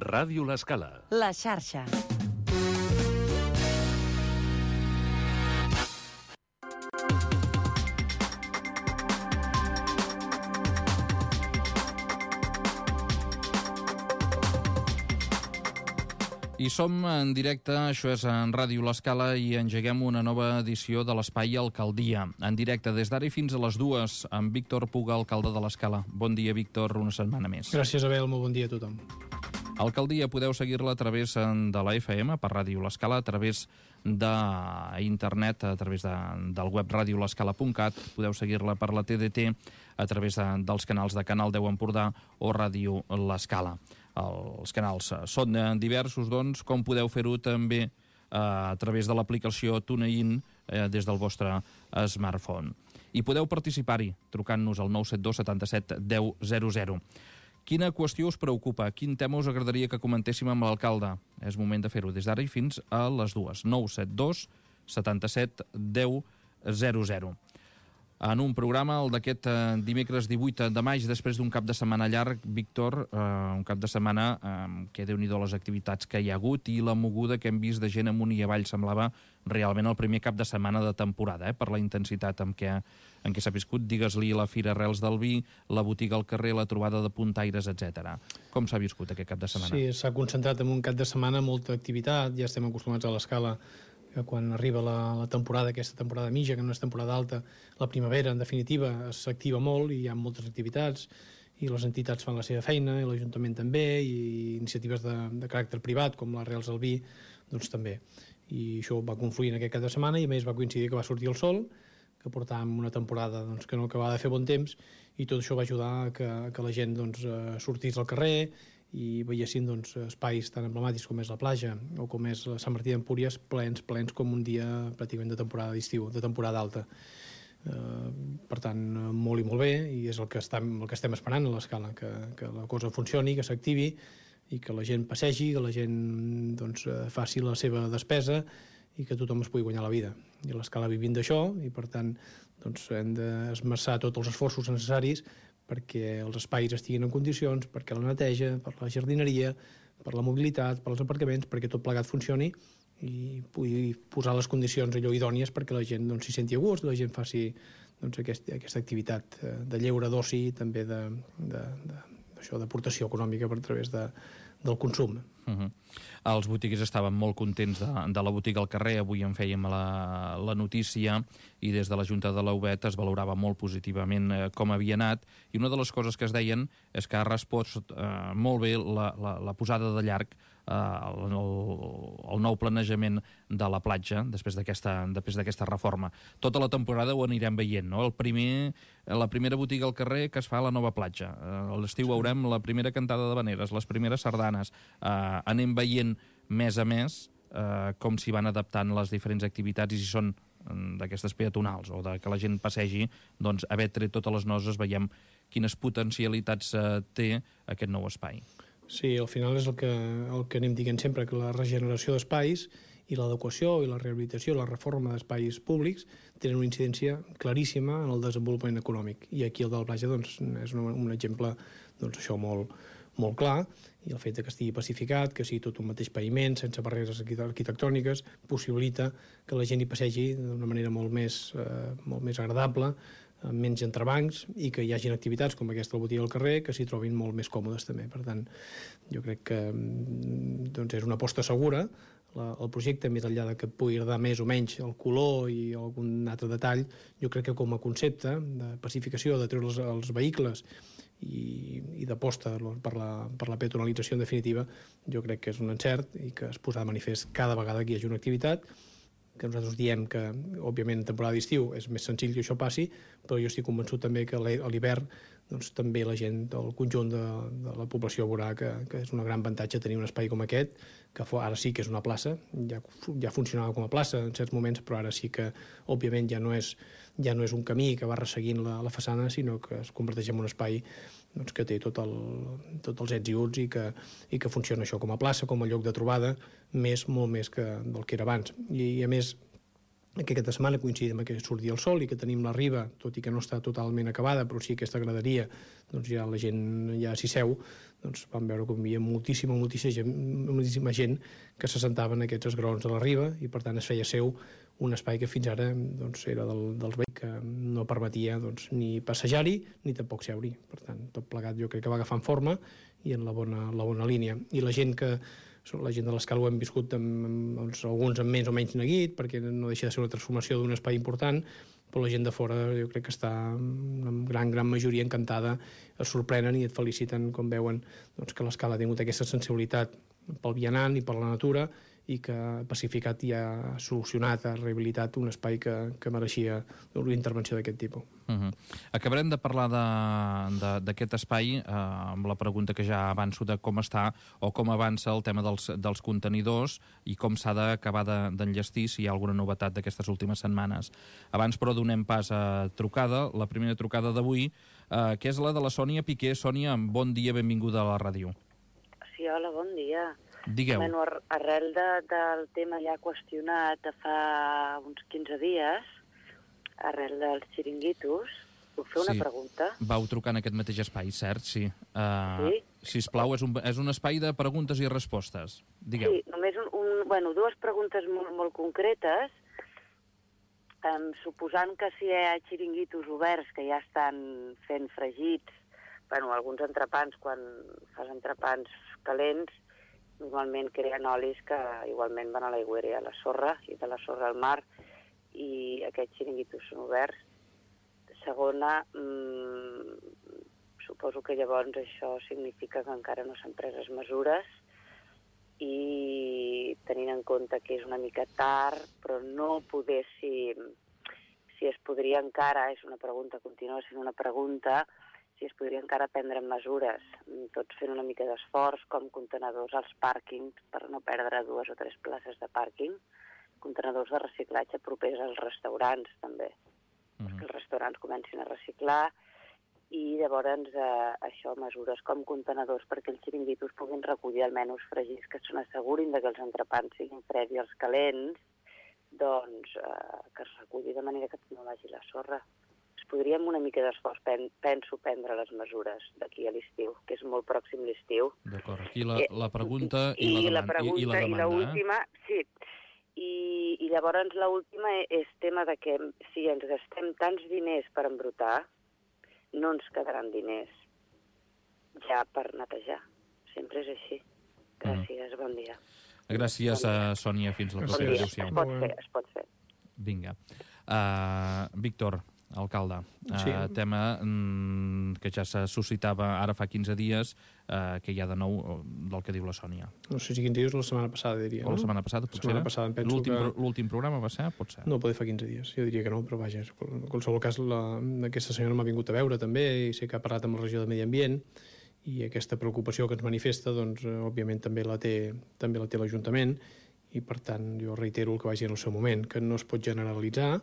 Ràdio L'Escala. La xarxa. I som en directe, això és en Ràdio L'Escala, i engeguem una nova edició de l'Espai Alcaldia. En directe des d'ara i fins a les 2, amb Víctor Puga, alcalde de l'Escala. Bon dia, Víctor, una setmana més. Gràcies, Abel, molt bon dia a tothom. Alcaldia, podeu seguir-la a través de la FM, per Ràdio L'Escala, a través d'internet, a través del web radiolescala.cat, podeu seguir-la per la TDT, a través dels canals de Canal 10 Empordà o Ràdio L'Escala. Els canals són diversos, doncs, com podeu fer-ho també a través de l'aplicació TuneIn des del vostre smartphone. I podeu participar-hi trucant-nos al 972 77 10 00. Quina qüestió us preocupa? Quin tema us agradaria que comentéssim amb l'alcalde? És moment de fer-ho des d'ara i fins a les 2. 972 77 10 00. En un programa, el d'aquest dimecres 18 de maig, després d'un cap de setmana llarg, Víctor, un cap de setmana que déu-n'hi-do les activitats que hi ha hagut i la moguda que hem vist de gent amunt i avall. Semblava realment el primer cap de setmana de temporada, per la intensitat en què s'ha viscut. Digues-li la Fira Arrels del Vi, la botiga al carrer, la trobada de puntaires, etc. Com s'ha viscut aquest cap de setmana? Sí, s'ha concentrat en un cap de setmana molta activitat. Ja estem acostumats a l'Escala que quan arriba la temporada, aquesta temporada mitja, que no és temporada alta, la primavera, en definitiva, s'activa molt i hi ha moltes activitats i les entitats fan la seva feina, i l'Ajuntament també, i iniciatives de caràcter privat, com l'Arrels del Vi, doncs també. I això va confluir en aquest cap de setmana i a més va coincidir que va sortir el sol, que portàvem una temporada doncs, que no acabava de fer bon temps, i tot això va ajudar a que la gent doncs, sortís al carrer i veiessin doncs, espais tan emblemàtics com és la platja o com és Sant Martí d'Empúries plens com un dia pràcticament de temporada d'estiu, de temporada alta. Per tant, molt i molt bé, i és el que estem esperant a l'Escala, que la cosa funcioni, que s'activi i que la gent passegi, que la gent doncs, faci la seva despesa i que tothom es pugui guanyar la vida. I l'Escala vivint d'això, i per tant doncs, hem d'esmerçar tots els esforços necessaris perquè els espais estiguin en condicions, perquè la neteja, per la jardineria, per la mobilitat, per als aparcaments, perquè tot plegat funcioni i pugui posar les condicions allò idònies perquè la gent doncs, s'hi senti a gust, la gent faci doncs, aquesta activitat de lleure, d'oci, també d'aportació econòmica per través del consum. Els botiguers estaven molt contents de la botiga al carrer. Avui en fèiem la notícia i des de la Junta de l'Aubet es valorava molt positivament com havia anat, i una de les coses que es deien és que ha respost molt bé la posada de llarg, el nou planejament de la platja després d'aquesta reforma. Tota la temporada ho anirem veient, no? La primera botiga al carrer que es fa a la nova platja. A l'estiu veurem la primera cantada d'havaneres, les primeres sardanes. Anem veient mes a mes com s'hi van adaptant les diferents activitats, i si són d'aquestes peatonals o de que la gent passegi, doncs haver tret totes les noses veiem quines potencialitats té aquest nou espai. Sí, al final és el que anem dient sempre, que la regeneració d'espais i l'adequació i la rehabilitació i la reforma d'espais públics tenen una incidència claríssima en el desenvolupament econòmic, i aquí el de la platja doncs, és un exemple doncs, això molt clar, i el fet que estigui pacificat, que sigui tot un mateix paviment, sense barreres arquitectòniques, possibilita que la gent hi passegi d'una manera molt més agradable, amb menys entrebancs, i que hi hagin activitats com aquesta botiga al carrer que s'hi trobin molt més còmodes també. Per tant, jo crec que doncs, és una aposta segura. El projecte, més enllà de que pugui agradar més o menys el color i algun altre detall, jo crec que com a concepte de pacificació, de treure els vehicles i d'aposta per la peatonalització en definitiva, jo crec que és un encert i que es posarà de manifest cada vegada que hi hagi una activitat, que nosaltres diem que, òbviament, en temporada d'estiu és més senzill que això passi, però jo estic convençut també que a l'hivern doncs, també la gent, el conjunt de la població veurà que és un gran avantatge tenir un espai com aquest, que ara sí que és una plaça, ja funcionava com a plaça en certs moments, però ara sí que, òbviament, ja no és un camí que va resseguint la façana, sinó que es converteix en un espai doncs, que té tots els ets i uts, i que funciona això com a plaça, com a lloc de trobada, molt més que del que era abans. I a més, aquesta setmana coincidim que sortia el sol i que tenim la riba, tot i que no està totalment acabada, però sí aquesta graderia, doncs ja la gent ja s'hi seu, doncs vam veure com hi havia moltíssima gent que s'assentava en aquests esgraons de la riba i per tant es feia seu un espai que fins ara doncs, era dels veïns que no permetia doncs, ni passejar-hi ni tampoc seure-hi. Per tant, tot plegat jo crec que va agafant forma i en la bona línia. I la gent de l'Escala ho hem viscut doncs, alguns amb més o menys neguit, perquè no deixa de ser una transformació d'un espai important, però la gent de fora jo crec que està en gran majoria encantada, es sorprenen i et feliciten quan veuen doncs, que l'Escala ha tingut aquesta sensibilitat pel vianant i per la natura i que ha pacificat i ha solucionat, ha rehabilitat un espai que mereixia una intervenció d'aquest tipus. Acabarem de parlar d'aquest espai amb la pregunta que ja avanço de com està o com avança el tema dels contenidors i com s'ha d'acabar d'enllestir, si hi ha alguna novetat d'aquestes últimes setmanes. Abans, però, donem pas a trucada, la primera trucada d'avui, que és la de la Sònia Piqué. Sònia, bon dia, benvinguda a la ràdio. Sí, hola, bon dia. Digueu. Bueno, arrel del tema ja qüestionat de fa uns 15 dies, arrel dels xiringuitos, puc fer una pregunta? Vau trucar en aquest mateix espai, cert? Sí. Sí? Sisplau, és un espai de preguntes i respostes. Digueu. Sí, només dues preguntes molt concretes. Suposant que si hi ha xiringuitos oberts que ja estan fent fregits, alguns entrepans, quan fas entrepans calents, normalment creen olis que igualment van a l'aigüera i a la sorra, i de la sorra al mar, i aquests xiringuitos són oberts. Segona, suposo que llavors això significa que encara no s'han pres les mesures i tenint en compte que és una mica tard, però no poder si es podria encara, és una pregunta, continua sent una pregunta, si es podria encara prendre mesures, tots fent una mica d'esforç, com contenedors als pàrquings, per no perdre 2 o 3 places de pàrquing, contenedors de reciclatge propers als restaurants, també, perquè els restaurants comencin a reciclar, i llavors això, mesures com contenedors perquè els xiringuitos puguin recollir almenys fregits que se n'assegurin que els entrepans siguin freds i els calents, doncs que es reculli de manera que no vagi la sorra. Podríem una mica d'esforç, penso, prendre les mesures d'aquí a l'estiu, que és molt pròxim l'estiu. D'acord, aquí la pregunta i la demanda. I l'última, sí. I llavors l'última és tema de que si ens gastem tants diners per embrutar, no ens quedaran diners ja per netejar. Sempre és així. Gràcies, bon dia. Gràcies, Sònia, fins la propera. Adéu-siau. Es pot fer. Vinga. Víctor, alcalde, tema que ja se suscitava ara fa 15 dies, que hi ha de nou del que diu la Sònia. No sé si 15 dies o la setmana passada, diria. O la setmana passada, potser? L'últim programa va ser? Pot ser. No, poder fa 15 dies. Jo diria que no, però vaja, en qualsevol cas, aquesta senyora m'ha vingut a veure també, i sé que ha parlat amb la regió de Medi Ambient, i aquesta preocupació que ens manifesta, doncs, òbviament, també la té l'Ajuntament, i, per tant, jo reitero el que vaig dir en el seu moment, que no es pot generalitzar,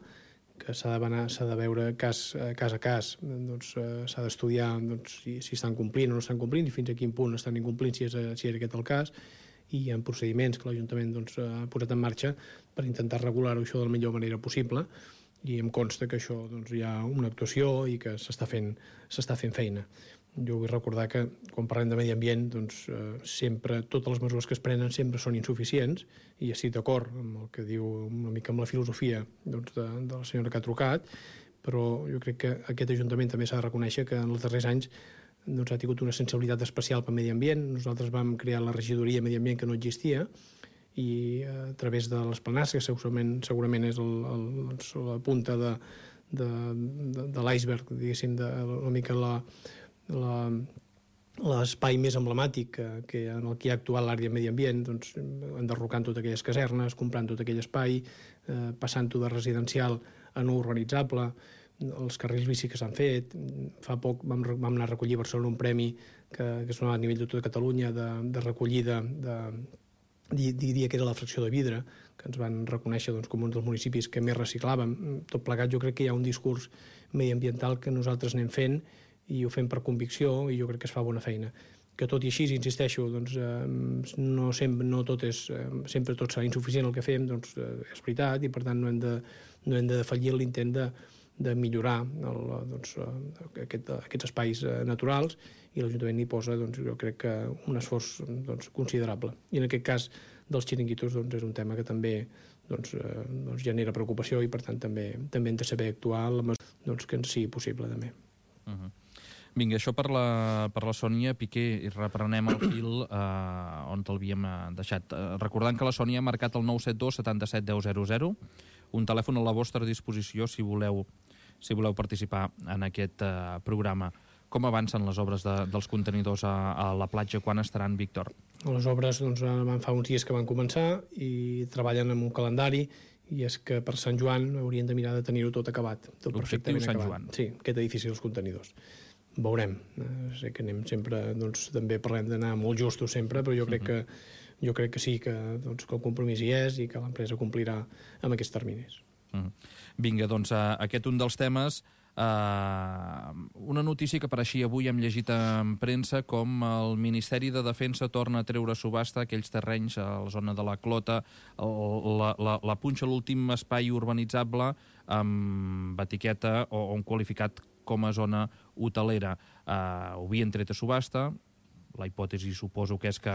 que s'ha de veure cas a cas, doncs, s'ha d'estudiar doncs, si estan complint o no estan complint i fins a quin punt estan incomplint, si és aquest el cas, i hi ha procediments que l'Ajuntament doncs, ha posat en marxa per intentar regular-ho això de la millor manera possible, i em consta que això doncs, hi ha una actuació i que s'està fent feina. Jo vull recordar que quan parlem de medi ambient doncs, sempre totes les mesures que es prenen sempre són insuficients, i estic d'acord amb el que diu una mica amb la filosofia doncs, de la senyora que ha trucat, però jo crec que aquest Ajuntament també s'ha de reconèixer que en els darrers anys doncs, ha tingut una sensibilitat especial per medi ambient. Nosaltres vam crear la regidoria de medi ambient que no existia, i a través de les planars, que segurament és la punta de l'iceberg, diguéssim, una mica l'espai més emblemàtic en el que ha actuat l'àrea de medi ambient, doncs, enderrocant totes aquelles casernes, comprant tot aquell espai, passant-ho de residencial a no urbanitzable, els carrils bici que s'han fet. Fa poc vam anar a recollir a Barcelona un premi que es donava a nivell de tota Catalunya de recollida diria que era la fracció de vidre, que ens van reconèixer doncs, com un dels municipis que més reciclàvem. Tot plegat jo crec que hi ha un discurs mediambiental que nosaltres anem fent i ho fem per convicció, i jo crec que es fa bona feina. que tot i així, insisteixo, doncs, no tot és, sempre tot serà insuficient el que fem, doncs és veritat, i per tant no hem de defallir l'intent de millorar aquests espais naturals, i l'Ajuntament hi posa, doncs, jo crec que un esforç considerable. I en aquest cas dels xiringuitos és un tema que també genera preocupació, i per tant també hem de saber actuar en la mesura que ens sigui possible també. Vinga, això per la Sònia Piqué, i reprenem el fil on l'havíem deixat. Recordant que la Sònia ha marcat el 972 77 10 00, un telèfon a la vostra disposició si voleu participar en aquest programa. Com avancen les obres dels contenidors a la platja? Quan estaran, Víctor? Les obres van fa uns dies que van començar i treballen amb un calendari, i és que per Sant Joan haurien de mirar de tenir-ho tot acabat, tot perfectament acabat. Sant Joan. Sí, aquest edifici dels contenidors. Veurem. Sé que anem sempre, també parlem d'anar molt justos sempre, però jo crec que sí, que el compromís hi és i que l'empresa complirà amb aquests terminis. Vinga, doncs aquest un dels temes. Una notícia que apareixia avui, hem llegit en premsa, com el Ministeri de Defensa torna a treure a subhasta aquells terrenys a la zona de la Clota, la punxa l'últim espai urbanitzable amb etiqueta o un qualificat com a zona hotelera. Ho havien tret a subhasta. La hipòtesi suposo que és que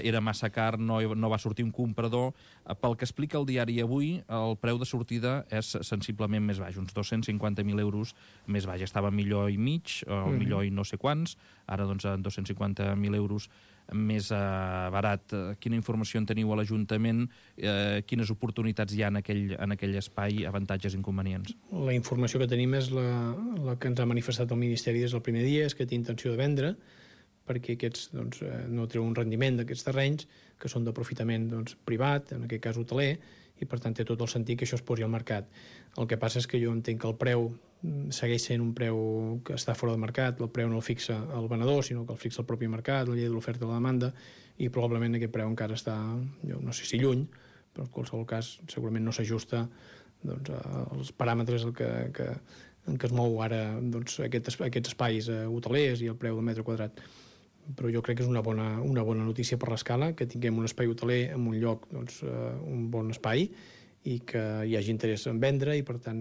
era massa car, no va sortir un comprador. Pel que explica el diari avui, el preu de sortida és sensiblement més baix, uns 250.000 euros més baix. Estava a milió i mig, o milió i no sé quants, ara doncs a 250.000 euros més barat. Quina informació en teniu a l'Ajuntament? Quines oportunitats hi ha en aquell espai? Avantatges, inconvenients? La informació que tenim és la que ens ha manifestat el Ministeri des del primer dia, és que té intenció de vendre, perquè aquests no treuen un rendiment d'aquests terrenys, que són d'aprofitament privat, en aquest cas hoteler, i per tant té tot el sentit que això es posi al mercat. El que passa és que jo entenc que el preu segueix sent un preu que està fora del mercat, el preu no el fixa el venedor, sinó que el fixa el propi mercat, la llei de l'oferta i la demanda, i probablement aquest preu encara està, jo no sé si lluny, però en qualsevol cas segurament no s'ajusta als paràmetres en què es mou ara aquests espais hotelers i el preu del metre quadrat. Però jo crec que és una bona notícia per l'Escala, que tinguem un espai hoteler en un lloc, un bon espai, i que hi hagi interès en vendre, i per tant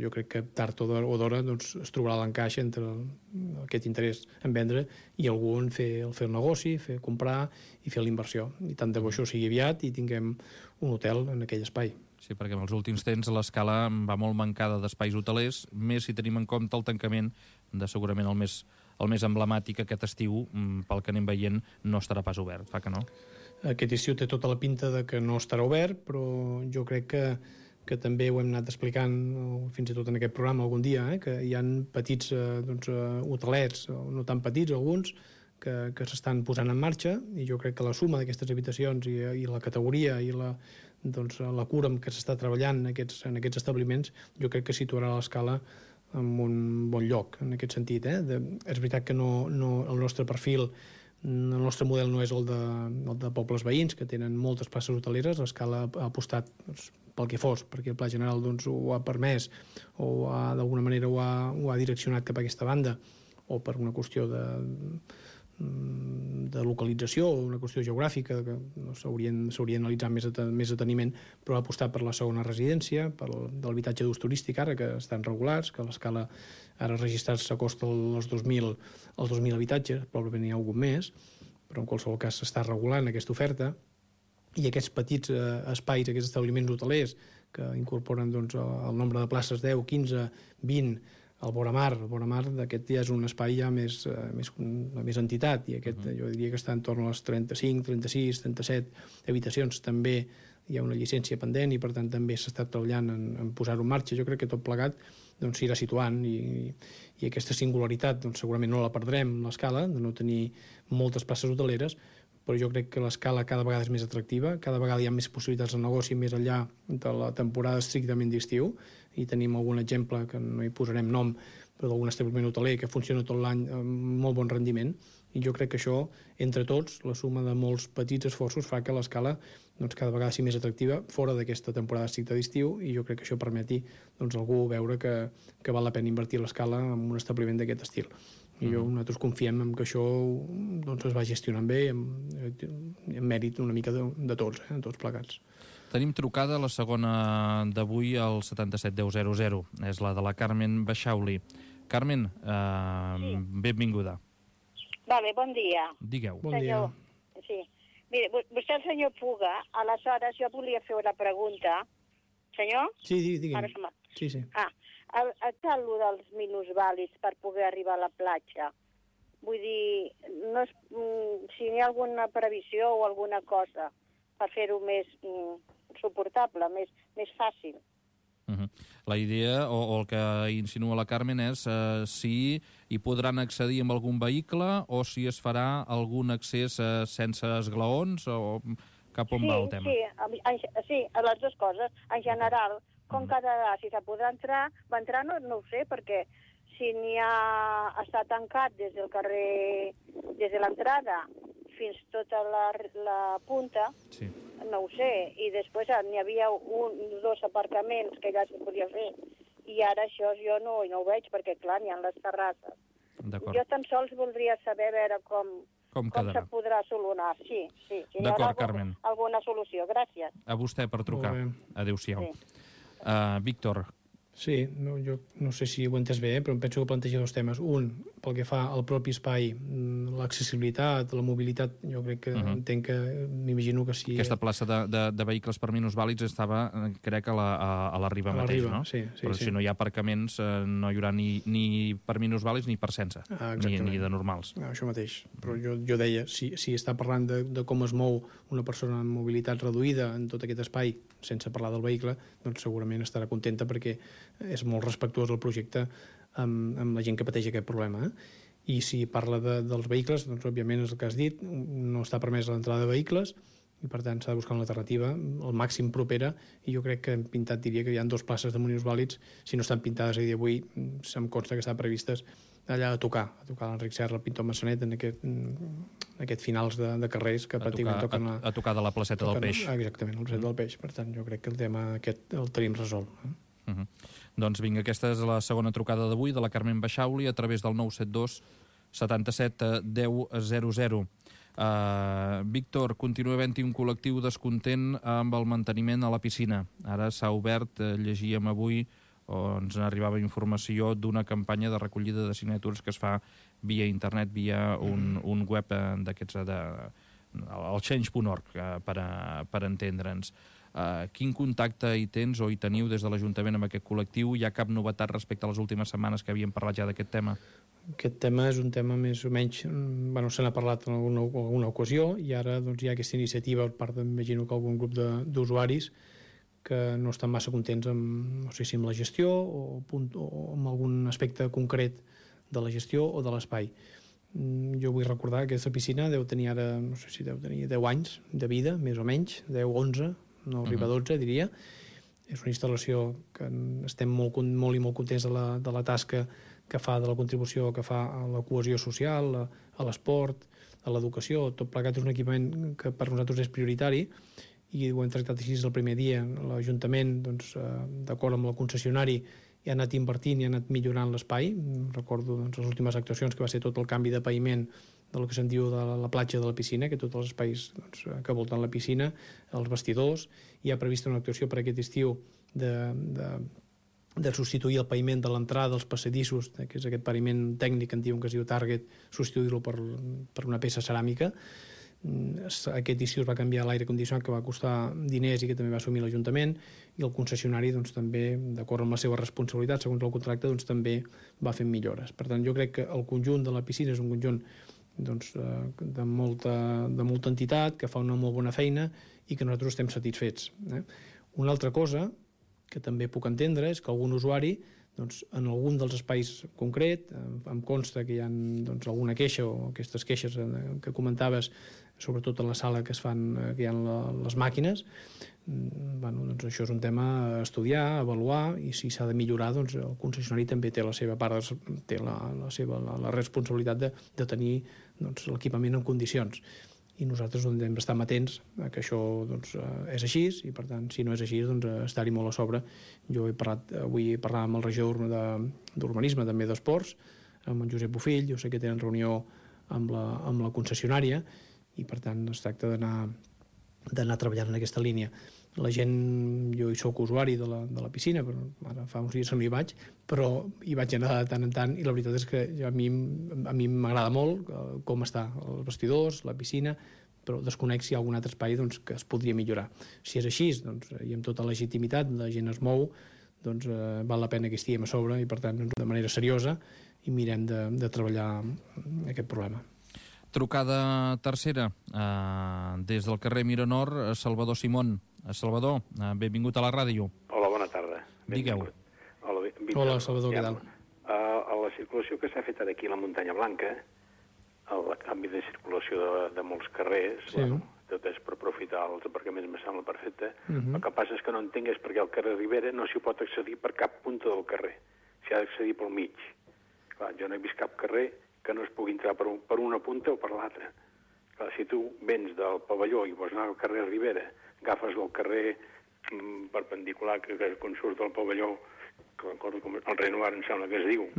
jo crec que tard o d'hora es trobarà l'encaix entre aquest interès en vendre i algú en fer el negoci, comprar i fer la inversió. I tant de bo això sigui aviat i tinguem un hotel en aquell espai. Sí, perquè en els últims temps l'Escala va molt mancada d'espais hotelers, més si tenim en compte el tancament de segurament el més emblemàtic aquest estiu, pel que anem veient, no estarà pas obert, fa que no? Aquest estiu té tota la pinta de que no estarà obert, però jo crec que també ho hem anat explicant fins i tot en aquest programa algun dia, que hi ha petits hotelets, no tan petits alguns, que s'estan posant en marxa, i jo crec que la suma d'aquestes habitacions i la categoria i la cura amb què s'està treballant en aquests establiments, jo crec que situarà l'Escala en un bon lloc, en aquest sentit. És veritat que el nostre perfil, el nostre model no és el de pobles veïns, que tenen moltes places hoteleres. L'Escala ha apostat pel que fos, perquè el Pla General ho ha permès, o d'alguna manera ho ha direccionat cap a aquesta banda, o per una qüestió de localització o una qüestió geogràfica que s'hauria d'analitzar més deteniment, però ha apostat per la segona residència, per l'habitatge d'ús turístic ara, que estan regulats, que l'Escala ara registrats s'acosta als 2.000 habitatges, probablement n'hi ha algun més, però en qualsevol cas s'està regulant aquesta oferta, i aquests petits espais, aquests establiments hotelers que incorporen el nombre de places 10, 15, 20, el Boramar d'aquest ja és un espai ja més entitat, i aquest jo diria que està en torn a les 35, 36, 37 habitacions. També hi ha una llicència pendent i per tant també s'està treballant en posar-ho en marxa. Jo crec que tot plegat s'irà situant, i aquesta singularitat segurament no la perdrem, l'Escala, de no tenir moltes places hoteleres, però jo crec que l'Escala cada vegada és més atractiva, cada vegada hi ha més possibilitats de negoci més enllà de la temporada estrictament d'estiu, i tenim algun exemple, que no hi posarem nom, però d'algun establiment hoteler que funciona tot l'any amb molt bon rendiment, i jo crec que això, entre tots, la suma de molts petits esforços fa que l'Escala cada vegada sigui més atractiva fora d'aquesta temporada estricta d'estiu, i jo crec que això permeti algú veure que val la pena invertir a l'Escala en un establiment d'aquest estil. I nosaltres confiem en que això doncs, es va gestionant bé, en mèrit una mica de tots, de tots plegats. Tenim trucada la segona d'avui al 771000. És la de la Carmen Baixauli. Carmen, benvinguda. Vale, bon dia. Digueu. Bon dia. Sí. Mire, vostè el senyor Puga, aleshores jo volia fer una pregunta. Senyor? Sí, digue'm. Sí. Està allò dels minusvàlids per poder arribar a la platja. Vull dir, si hi ha alguna previsió o alguna cosa per fer-ho més suportable, més fàcil. La idea, o el que insinua la Carmen, és si hi podran accedir amb algun vehicle o si es farà algun accés sense esglaons o cap on va el tema. Sí, a les dues coses. En general, com quedarà, si se podrà entrar, va entrar no ho sé, perquè si n'hi ha està tancat des del carrer, des de l'entrada fins tota la punta, sí. No ho sé, i després n'hi havia dos aparcaments que ja se podia fer, i ara això jo no ho veig, perquè clar, n'hi ha les terrasses. Jo tan sols voldria saber a veure com se podrà solucionar. Sí. Si d'acord, Carmen. Alguna solució. Gràcies. A vostè per trucar. Adéu-siau. Sí. Víctor. Sí, jo no sé si ho he entès bé, però em penso que planteja dos temes. Un, pel que fa al propi espai, l'accessibilitat, la mobilitat, jo crec que entenc que, m'imagino que sí... Aquesta plaça de vehicles per minusvàlids estava, crec, a la Riba mateix, no? Sí. Però si no hi ha aparcaments, no hi haurà ni per minusvàlids ni per sense, ni de normals. Això mateix. Però jo deia, si està parlant de com es mou una persona amb mobilitat reduïda en tot aquest espai, sense parlar del vehicle, doncs segurament estarà contenta perquè és molt respectuós el projecte amb la gent que pateix aquest problema. I si parla dels vehicles, doncs òbviament és el que has dit, no està permès l'entrada de vehicles i per tant s'ha de buscar una alternativa al màxim propera, i jo crec que hem pintat, diria que hi ha 2 places de minusvàlids, si no estan pintades a dia d'avui, se'm consta que estan previstes allà a tocar l'Enric Serra, el pintor Massanet, en aquest finals de carrers que pràcticament toquen... A tocar de la placeta del Peix. Exactament, la placeta del Peix. Per tant, jo crec que el tema aquest el tenim resolt. Doncs vinga, aquesta és la segona trucada d'avui de la Carmen Baixauli a través del 972 77 10 00. Víctor, continua havent-hi un col·lectiu descontent amb el manteniment a la piscina. Ara s'ha obert, llegíem avui, o ens arribava informació d'una campanya de recollida de signatures que es fa via internet, via un web d'aquests, el change.org, per entendre'ns. Quin contacte hi tens o hi teniu des de l'Ajuntament amb aquest col·lectiu? Hi ha cap novetat respecte a les últimes setmanes que havíem parlat ja d'aquest tema? Aquest tema és un tema més o menys... se n'ha parlat en alguna ocasió i ara doncs, hi ha aquesta iniciativa per part, m'imagino que algun grup d'usuaris que no estan massa contents amb, no sé si amb la gestió o amb algun aspecte concret de la gestió o de l'espai. Jo vull recordar que aquesta piscina deu tenir ara, no sé si deu tenir 10 anys de vida, més o menys, 10, 11, no arriba a 12, diria. És una instal·lació que estem molt contents de la tasca que fa, de la contribució que fa a la cohesió social, a l'esport, a l'educació. Tot plegat és un equipament que per nosaltres és prioritari i ho hem tractat així des del primer dia. L'Ajuntament, doncs, d'acord amb el concessionari, hi ha anat invertint i ha anat millorant l'espai. Recordo les últimes actuacions, que va ser tot el canvi de paviment del que se'n diu de la platja de la piscina, que tots els espais que volten la piscina, els vestidors. Hi ha prevista una actuació per aquest estiu de substituir el paviment de l'entrada dels passadissos, que és aquest paviment tècnic que en diuen que es diu Target, substituir-lo per una peça ceràmica. Aquest estiu es va canviar l'aire condicionat, que va costar diners i que també va assumir l'Ajuntament, i el concessionari doncs, també, d'acord amb la seva responsabilitat, segons el contracte, doncs, també va fent millores. Per tant, jo crec que el conjunt de la piscina és un conjunt doncs, de molta entitat, que fa una molt bona feina i que nosaltres estem satisfets. Una altra cosa que també puc entendre és que algun usuari, doncs, en algun dels espais concret, em consta que hi ha doncs, alguna queixa o aquestes queixes que comentaves, sobretot a la sala que hi ha les màquines, doncs això és un tema a estudiar, a avaluar, i si s'ha de millorar, doncs el concessionari també té la seva part, té la responsabilitat de tenir doncs, l'equipament en condicions. I nosaltres hem d'estar atents que això doncs, és així, i per tant, si no és així, doncs, estar-hi molt a sobre. Jo avui he parlat amb el regidor d'Urbanisme, també d'Esports, amb en Josep Bofill, jo sé que tenen reunió amb la concessionària i per tant es tracta d'anar treballant en aquesta línia. La gent, jo hi soc usuari de la piscina, però ara fa uns dies que no hi vaig, però hi vaig anar de tant en tant i la veritat és que a mi m'agrada molt com està els vestidors, la piscina, però desconec si hi ha algun altre espai que es podria millorar. Si és així, i amb tota legitimitat, la gent es mou, val la pena que estiguem a sobre i per tant de manera seriosa i mirem de treballar aquest problema. Trucada tercera, des del carrer Miranor, Salvador Simón. Salvador, benvingut a la ràdio. Hola, bona tarda. Digueu. Hola, Salvador, què tal? A la circulació que s'ha fet ara aquí a la Muntanya Blanca, el canvi de circulació de molts carrers, sí. Tot és per aprofitar els aparcaments, me sembla perfecte. El que passa és que no entenc és perquè al carrer Ribera no s'hi pot accedir per cap punta del carrer. S'hi ha d'accedir pel mig. Clar, jo no he vist cap carrer que no es pugui entrar per una punta o per l'altra. Si tu vens del pavelló i vols anar al carrer Ribera, agafes el carrer perpendicular que quan surt del pavelló, que recordo com el Renoir em sembla que es diu,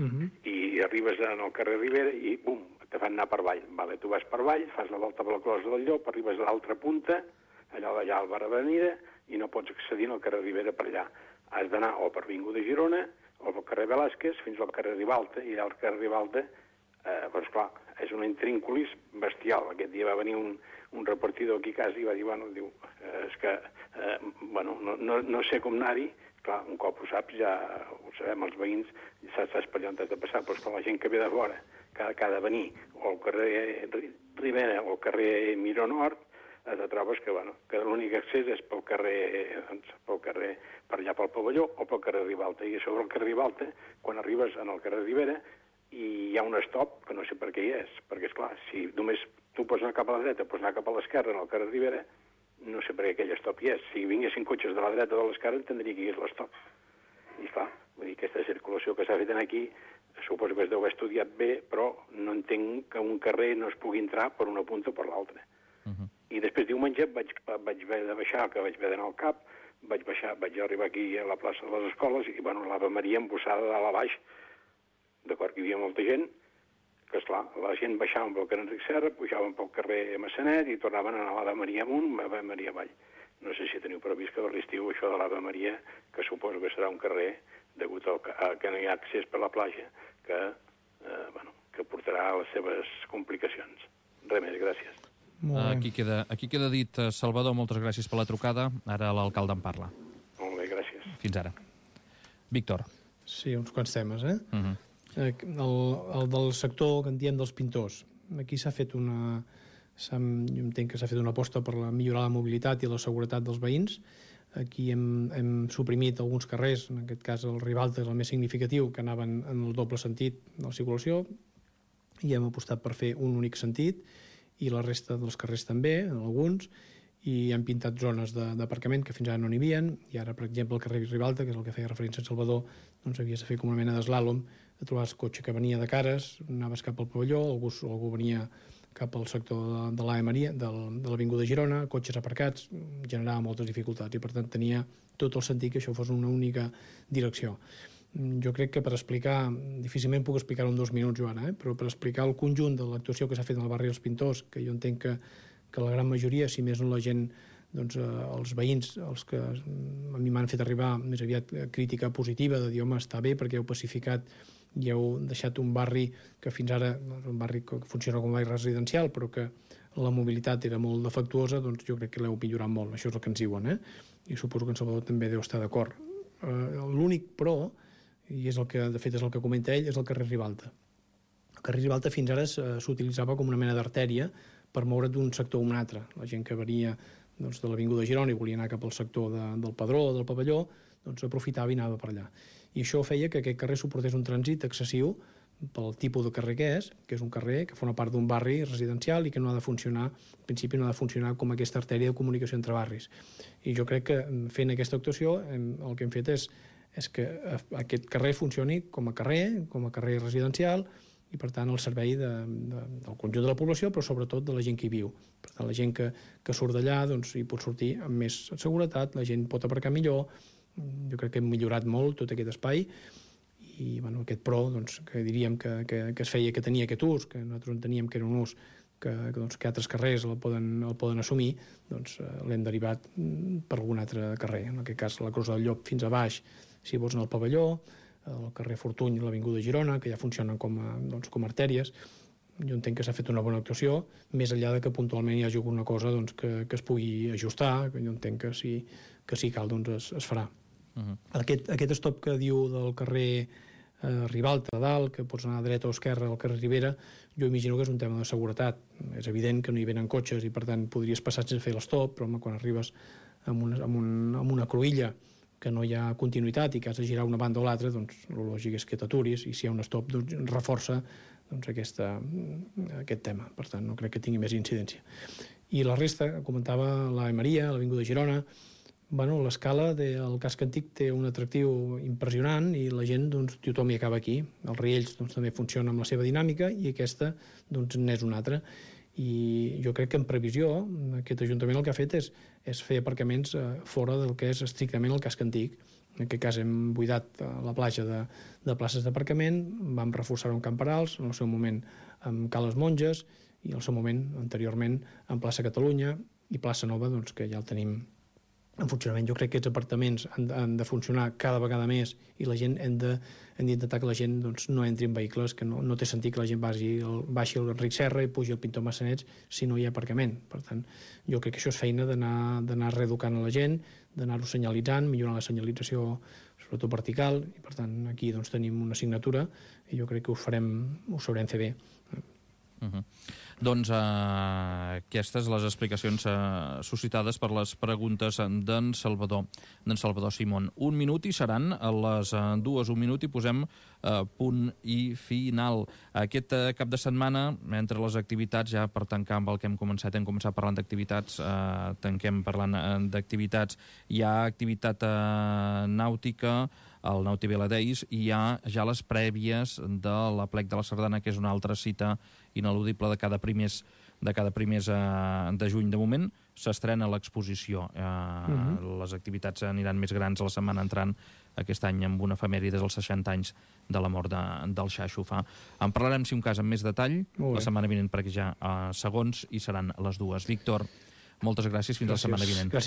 i arribes al carrer Ribera i bum, te fan anar per avall. Vale, tu vas per avall, fas la volta per la closa del Llop, arribes a l'altra punta, allà al bar Avenida, i no pots accedir al carrer Ribera per allà. Has d'anar o per Avinguda de Girona o pel carrer Velázquez fins al carrer Ribalta, i allà al carrer Ribalta, doncs clar, és un intrínculis bestial. Aquest dia va venir un repartidor aquí a casa i va dir, és que, no sé com anar-hi. Clar, un cop ho saps, ja ho sabem, els veïns, saps per allà on has de passar, però és que la gent que ve de fora, que ha de venir o al carrer Ribera o al carrer Miró Nord, te trobes que l'únic accés és pel carrer, per allà pel pavelló o pel carrer Ribalta. I sobre el carrer Ribalta, quan arribes al carrer Ribera, hi ha un stop que no sé per què hi és, perquè, esclar, si només tu pots anar cap a la dreta, pots anar cap a l'esquerra en el carrer Ribera, no sé per què aquell stop hi és. Si vinguessin cotxes de la dreta o de l'esquerra, entendria que hi és l'stop. I clar, vull dir, aquesta circulació que s'ha fet aquí, suposo que es deu haver estudiat bé, però no entenc que un carrer no es pugui entrar per una punta o per l'altra. I després diumenge vaig haver de baixar, que vaig haver d'anar al CAP, vaig arribar aquí a la plaça de les Escoles, i l'Ave Maria embossada de dalt a baix, d'acord que hi havia molta gent, que esclar, la gent baixaven pel carrer Enric Serra, pujaven pel carrer Massanet i tornaven a anar a l'Ave Maria amunt, a l'Ave Maria avall. No sé si teniu previst que a l'estiu això de l'Ave Maria, que suposo que serà un carrer, degut a que no hi ha accés per la platja, que portarà les seves complicacions. Res més, gràcies. Aquí queda dit. Salvador, moltes gràcies per la trucada. Ara l'alcalde en parla. Molt bé, gràcies. Fins ara. Víctor. Sí, uns quants temes, el del sector que en diem dels pintors. Aquí s'ha fet jo entenc que s'ha fet una aposta per millorar la mobilitat i la seguretat dels veïns. Aquí hem suprimit alguns carrers, en aquest cas el Ribalta és el més significatiu, que anaven en el doble sentit de la circulació, i hem apostat per fer un únic sentit, i la resta dels carrers també, en alguns, i hem pintat zones d'aparcament que fins ara no n'hi havia, i ara, per exemple, el carrer Ribalta, que és el que feia referència a Salvador, doncs havies de fer com una mena d'eslàlom, trobaves cotxe que venia de cares, anaves cap al pavelló, algú venia cap al sector de l'Ave Maria, de l'Avinguda de Girona, cotxes aparcats, generava moltes dificultats, i per tant tenia tot el sentit que això fos una única direcció. Jo crec que per explicar, difícilment puc explicar-ho en 2 minuts, Joana, però per explicar el conjunt de l'actuació que s'ha fet en el barri dels Pintors, que jo entenc que la gran majoria, si més no la gent, doncs els veïns, els que a mi m'han fet arribar més aviat crítica positiva, de dir, home, està bé perquè heu pacificat i heu deixat un barri que fins ara és un barri que funciona com a barri residencial, però que la mobilitat era molt defectuosa, doncs jo crec que l'heu millorat molt, això és el que ens diuen, i suposo que en Salvador també deu estar d'acord. L'únic però, i és el que de fet és el que comenta ell, és el carrer Ribalta. El carrer Ribalta fins ara s'utilitzava com una mena d'artèria per moure't d'un sector a un altre. La gent que venia de l'Avinguda de Girona i volia anar cap al sector del Padró o del Pavelló, doncs aprofitava i anava per allà. I això feia que aquest carrer suportés un trànsit excessiu pel tipus de carrer que és un carrer que forma part d'un barri residencial i que no ha de funcionar, en principi no ha de funcionar com aquesta artèria de comunicació entre barris. I jo crec que fent aquesta actuació el que hem fet és que aquest carrer funcioni com a carrer residencial, i per tant el servei del conjunt de la població, però sobretot de la gent que hi viu. Per tant, la gent que surt d'allà hi pot sortir amb més seguretat, la gent pot aparcar millor. Jo crec que hem millorat molt tot aquest espai i aquest pro, que diríem que es feia, que tenia aquest ús, que nosaltres enteníem que era un ús que altres carrers el poden assumir, l'hem derivat per algun altre carrer. En aquest cas, la Cruz del Llop fins a baix, si vols anar al Pavelló, el carrer Fortuny i l'Avinguda Girona, que ja funcionen com a artèries. Jo entenc que s'ha fet una bona actuació, més enllà de que puntualment hi hagi alguna cosa que es pugui ajustar, que jo entenc que si cal es farà. Aquest stop que diu del carrer Ribalta a dalt, que pots anar a dreta o esquerra al carrer Ribera, jo imagino que és un tema de seguretat. És evident que no hi venen cotxes i per tant podries passar sense fer l'estop, però quan arribes amb una cruïlla que no hi ha continuïtat i que has de girar una banda o l'altra, el lògic és que t'aturis, i si hi ha un stop reforça aquest tema. Per tant, no crec que tingui més incidència. I la resta, comentava la Maria, l'Avinguda Girona, l'escala del casc antic té un atractiu impressionant i la gent, tothom hi acaba aquí. Els Riells també funciona amb la seva dinàmica i aquesta n'és una altra. I jo crec que en previsió aquest Ajuntament el que ha fet és fer aparcaments fora del que és estrictament el casc antic. En aquest cas hem buidat la platja de places d'aparcament, vam reforçar-ho amb camperals, en el seu moment amb Cales Monges i en el seu moment, anteriorment, amb plaça Catalunya i plaça Nova, que ja el tenim en funcionament. Jo crec que aquests apartaments han de funcionar cada vegada més i la gent hem d'intentar que la gent no entri en vehicles, que no té sentit que la gent baixi el Ric Serra i pugi el Pintor Massanets si no hi ha aparcament. Per tant, jo crec que això és feina d'anar reeducant a la gent, d'anar-ho senyalitzant, millorar la senyalització, sobretot vertical, i per tant aquí tenim una assignatura i jo crec que ho sabrem fer bé. Doncs aquestes les explicacions suscitades per les preguntes d'en Salvador Simón. 1 minut i seran a les 2, 1 minut i posem punt i final. Aquest cap de setmana, entre les activitats, ja per tancar amb el que hem començat parlant d'activitats, tanquem parlant d'activitats. Hi ha activitat nàutica, el Nauti Vela Days, i hi ha ja les prèvies de l'Aplec de la Sardana, que és una altra cita ineludible de cada primers de juny. De moment s'estrena l'exposició. Les activitats aniran més grans a la setmana entrant, aquest any amb una efemèride dels 60 anys de la mort del Xaxo Fa. En parlarem, si un cas, amb més detall la setmana vinent, perquè ja segons i seran les 2. Víctor, moltes gràcies. Fins la setmana vinent.